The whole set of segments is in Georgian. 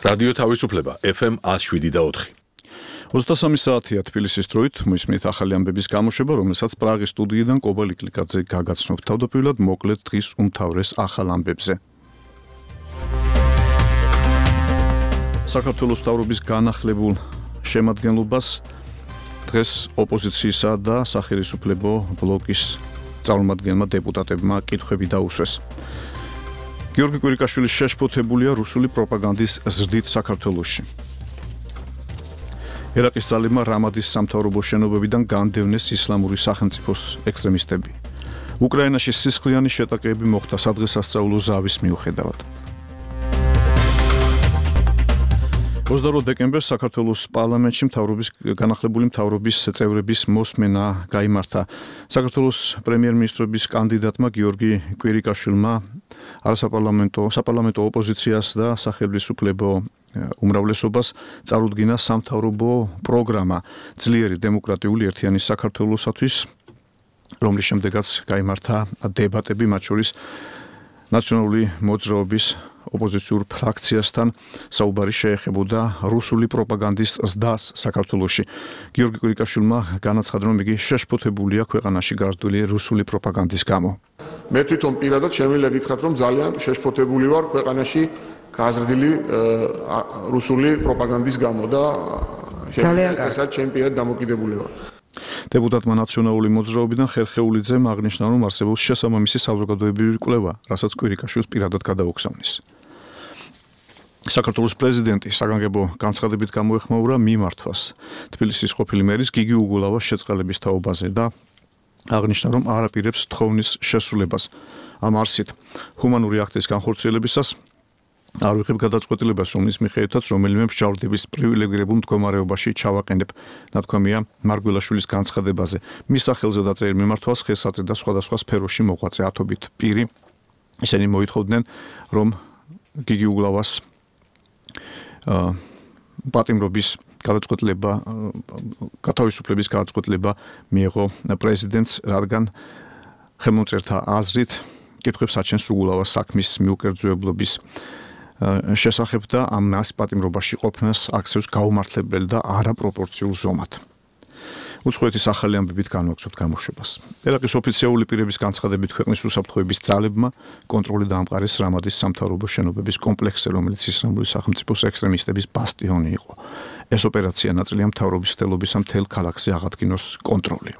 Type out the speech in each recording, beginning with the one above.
რადიო თავისუფლება FM 107.4. 23 საათია თბილისის დროით, მოისმენთ ახალი ამბების გამოშვება, რომელსაც პრაღის სტუდიიდან კობა ლიკლიკაძე გაგაცნობთ. თავდაპირველად მოკლედ დღის უმთავრეს ახალ ამბებზე. საქართველოს მთავრობის განახლებულ შემადგენლობას დღეს ოპოზიციისა და სახელმწიფო ბლოკის წარმომადგენლმა დეპუტატებმა კითხვები დაუსვეს. გიორგი კვირიკაშვილის შეშფოთებულია რუსული პროპაგანდის ზრდით საქართველოში. ერაყის ძალებმა რამადის სამთავრობო შენობებიდან განდევნეს ისლამური სახელმწიფოს ექსტრემისტები. უკრაინაში სისხლიანი შეტაკებები მოხდა სადღესასწაულო ზავის მიუხედავად. 28 დეკემბერს საქართველოს პარლამენტში განახლებული მთავრობის წევრების მოსმენა გაიმართა. საქართველოს პრემიერ-მინისტრობის კანდიდატმა გიორგი კვირიკაშვილმა საპარლამენტო ოპოზიციას და სახელმწიფო უმრავლესობას წარუდგინა სამთავრობო პროგრამა ძლიერი დემოკრატიული ერთიანი საქართველოსათვის, რომლის შემდეგაც გაიმართა დებატები, მათ შორის ნაციონალური მოძრაობის ოპოზიციურ ფრაქციასთან საუბარი შეეხებოდა რუსული პროპაგანდის ზრდას საქართველოში. გიორგი კვირიკაშვილმა განაცხადა, რომ იგი შეშფოთებულია ქვეყანაში გაზრდილი რუსული პროპაგანდის გამო. მე თვითონ პირადად შემიძლია გითხრათ, რომ ძალიან შეშფოთებული ვარ ქვეყანაში გაზრდილი რუსული პროპაგანდის გამო და შესაძლოა ჩემი პირად დამოკიდებული ვარ. დეპუტატმა ნაციონალური მოძრაობიდან ხერხეულიძემ აღნიშნა, რომ არსებობს შესაბამისი საზოგადოებრივი კვლევა, რასაც კვირიკაშვილს პირადად გადაუხსავნის. საქართველოს პრეზიდენტი საგანგებო განცხადებით გამოეხმაურა მიმართვას თბილისის ყოფილი მერის გიგი უგულავას შეწყალების თაობაზე და აღნიშნა, რომ არ აპირებს თხოვნის შესრულებას. ამ არსით ჰუმანური აქტის განხორციელებისას არ ვიღებ გადაწყვეტილებას, რომლის მიხედვითაც რომელიმე მსჯავრდების პრივილეგირებულ მდგომარეობაში ჩავაყენებ, ნათქვამია მარგველაშვილის განცხადებაზე. მის სახელზე დაწერილ მიმართვას ხელს აწვდიდა სხვადასხვა სფეროში მოღვაწე ათობით პირი. ისინი მოითხოვდნენ, რომ გიგი უგულავას პატიმრობის გადაწყვეტილება, გათავისუფლების გადაწყვეტილება მიიღო პრეზიდენტს, რადგან ხელმომწერთა აზრით კითხვებს აჩენს უგულავას საქმის მიუკერძოებლობის შესახებ და ამას პატიმრობაში ყოფნას აქცევს გაუმართლებელი და არაპროპორციულ ზომად. უცხოეთის ახალი ამბებით განვაგრძობთ გამოშვებას. ერაყის ოფიციალური პირების განცხადებით ქვეყნის უსაფრთხოების ძალებმა კონტროლი დაამყარეს რამადის სამთავრობო შენობების კომპლექსზე, რომელიც ისლამური სახელმწიფოს ექსტრემისტების ბასტიონი იყო. ეს ოპერაცია ნაწილია მთავრობის მცდელობისა მთელ ქალაქზე აღადგინოს კონტროლი.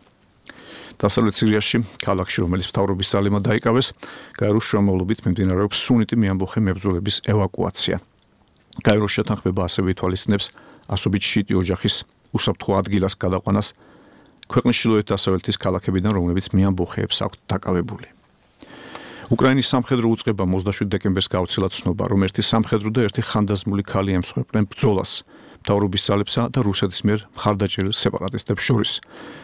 დასავლეთ სირიაში, ქალაქში, რომელიც მთავრობის ძალებმა დაიკავეს, გაეროს შრომავლობით მიმდინარეობს სუნიტი მეამბოხე მებრძოლების ევაკუაცია. გაეროს შეთანხმება ასევე ითვალისწინებს ასობით შიიტი ოჯახის უსაფრთხო ადგილას გადაყვანას ქვეყნის ჩრდილოეთ-დასავლეთის ქალაქებიდან, რომლებიც მეამბოხეებს აქვთ დაკავებული. უკრაინის სამხედრო უწყებამ 27 დეკემბერს გაუცილა ცნობა, რომ ერთი სამხედრო და ერთი ხანდაზმული ქალი ემსხვერპლენ ბრძოლას მთავრობის ძალებსა და რუსეთის მიერ მხარდაჭერილ სეპარატისტებს შორის.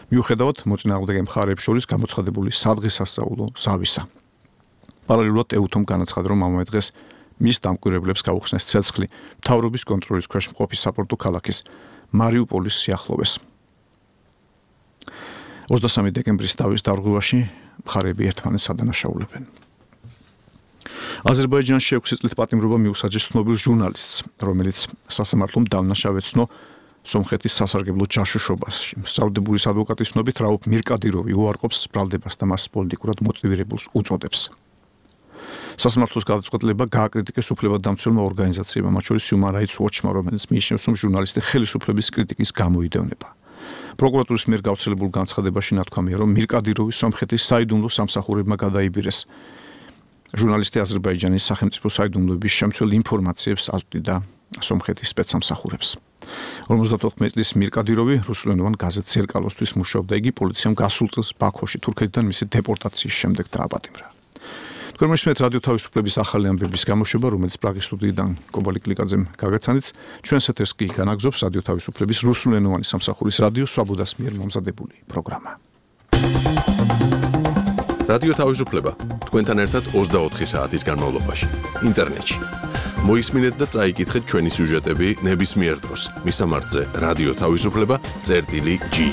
მიუხედავად მოწინააღმდეგე მხარეებს შორის გამოცხადებული სადღესასწაულო ზავისა. პარალელურად ეუთომ განაცხადა, რომ ამავე დღეს მის დამკვირვებლებს გაუხსნეს ცეცხლი მთავრობის კონტროლის ქვეშ მყოფი საპორტო ქალაქის მარიუპოლის სიახლოვეს. 23 დეკემბრის დავის დარღვევაში მხარეები ერთმანეთს ადანაშაულებენ. აზერბაიჯანში 6 წლით პატიმრობა მიუსაჯეს ცნობილ ჟურნალისტს, რომელიც სასამართლომ დავნაშავეცნო სომხეთის სასარგებლო ჯაშუშობაში. საუდების ადვოკატის ცნობით რაუფ მირკადიროვი უარყოფს ბრალდებას და მას პოლიტიკურად მოტივირებულს უწოდებს. სასამართლოს გადაწყვეტილება გააკრიტიკეს უფლებადამცველმა ორგანიზაციებმა, მათ შორის Human Rights Watch-მა, რომელიც მიიჩნევს, რომ ჟურნალისტი ხელისუფლების კრიტიკის გამოიდევნება. პროკურატურის მიერ გავრცელებულ განცხადებაში ნათქვამია, რომ მირკადიროვი სომხეთის საიდუმლო სამსახურებმა გადაიბირეს. ჟურნალისტი აზერბაიჯანის სახელმწიფო საიდუმლოების შემცველ ინფორმაციებს აწვდიდა სომხეთის სპეცსამსახურებს. 54 წლის მირკადიროვი რუსულენოვან გაზეთ ზერკალოსთვის მუშაობდა. იგი პოლიციამ გასულ წელს ბაქოში თურქეთიდან მისი დეპორტაციის შემდეგ დააპატიმრა. თქვენ მოისმენთ რადიო თავისუფლების ახალი ამბების გამოშვება, რომელიც პრაღის სტუდიიდან კობა ლიკლიკაძემ გაგაცანით. ჩვენს ეთერს კი განაგზობს რადიო თავისუფლების რუსულენოვანი სამსახურის რადიო სვაბოდას მიერ მომზადებული პროგრამა. რადიო თავისუფლება თქვენთან ერთად 24 საათის განმავლობაში ინტერნეტში. მოისმინეთ და წაიკითხეთ ჩვენი სიუჟეტები ნებისმიერ დროს. მისამართზე რადიო თავისუფლება.gi